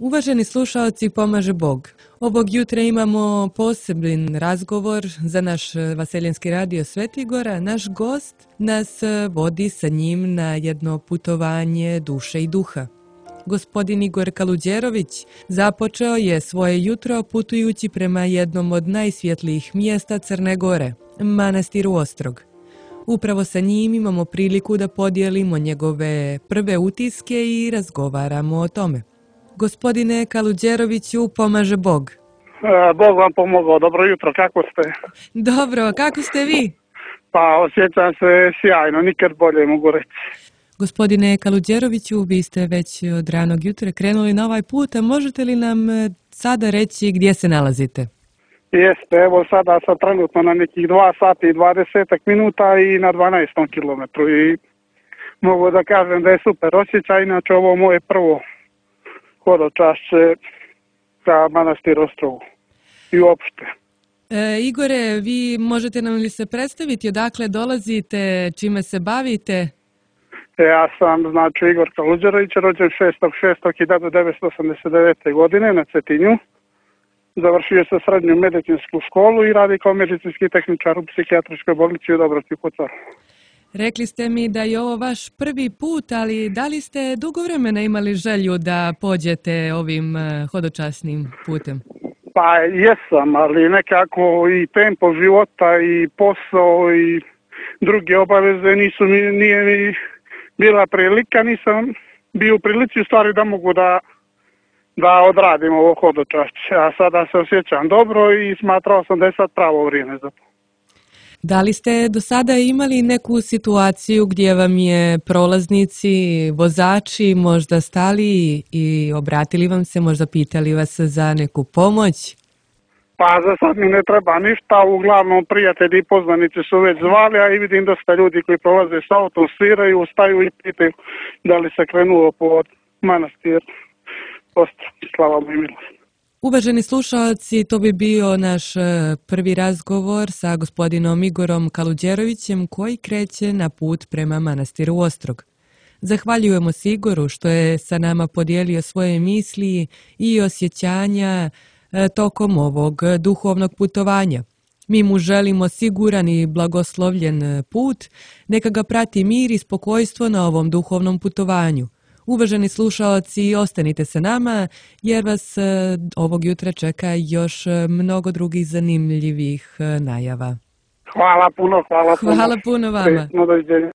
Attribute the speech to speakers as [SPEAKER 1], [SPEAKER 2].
[SPEAKER 1] Uvaženi slušalci, pomaže Bog. Ovog jutra imamo poseban razgovor za naš Vaseljenski radio Svetigora. Naš gost nas vodi sa njim na jedno putovanje duše i duha. Gospodin Igor Kaluđerović započeo je svoje jutro putujući prema jednom od najsvjetlijih mjesta Crne Gore, manastiru Ostrog. Upravo sa njim imamo priliku da podijelimo njegove prve utiske i razgovaramo o tome. Gospodine Kaluđeroviću, pomaže Bog.
[SPEAKER 2] Bog vam pomogao. Dobro jutro, kako ste?
[SPEAKER 1] Dobro, kako ste vi?
[SPEAKER 2] Pa osjećam se sjajno, nikad bolje mogu reći.
[SPEAKER 1] Gospodine Kaluđeroviću, vi ste već od ranog jutra krenuli na ovaj put, a možete li nam sada reći gdje se nalazite?
[SPEAKER 2] Jeste, evo sada sam trenutno na nekih 2 sata i 20 minuta i na 12 kilometru i mogu da kažem da je super osjećaj, inače ovo moje prvo hodočašće ka manastiru Ostrogu i uopšte.
[SPEAKER 1] Igore, vi možete nam li se predstaviti odakle dolazite, čime se bavite?
[SPEAKER 2] Ja sam, Igor Kaluđerović, rođen 6.6.1989. godine na Cetinju. Završio sam srednju medicinsku školu i radi kao medicinski tehničar u psihijatričkoj bolnici u Dobrovci kod Cara.
[SPEAKER 1] Rekli ste mi da je ovo vaš prvi put, ali da li ste dugo vremena imali želju da pođete ovim hodočasnim putem?
[SPEAKER 2] Pa jesam, ali nekako i tempo života i posao i druge obaveze nije mi bila prilika, nisam bio u prilici u stvari da mogu da odradim ovo hodočašće, a sada se osjećam dobro i smatrao sam da je sad pravo vrijeme za to.
[SPEAKER 1] Da li ste do sada imali neku situaciju gdje vam je prolaznici, vozači možda stali i obratili vam se, možda pitali vas za neku pomoć?
[SPEAKER 2] Pa za sad mi ne treba ništa, uglavnom prijatelji i poznanici su već zvali, a i vidim dosta ljudi koji prolaze s autom, sviraju, staju i pitaju da li se krenulo pod manastir Ostrog, slava mu i milost.
[SPEAKER 1] Uvaženi slušalci, to bi bio naš prvi razgovor sa gospodinom Igorom Kaluđerovićem koji kreće na put prema manastiru Ostrog. Zahvaljujemo se Igoru što je sa nama podijelio svoje misli i osjećanja tokom ovog duhovnog putovanja. Mi mu želimo siguran i blagoslovljen put, neka ga prati mir i spokojstvo na ovom duhovnom putovanju. Uvaženi slušalci, ostanite sa nama jer vas ovog jutra čeka još mnogo drugih zanimljivih najava.
[SPEAKER 2] Hvala puno.
[SPEAKER 1] Hvala puno vama.
[SPEAKER 2] Doviđenja.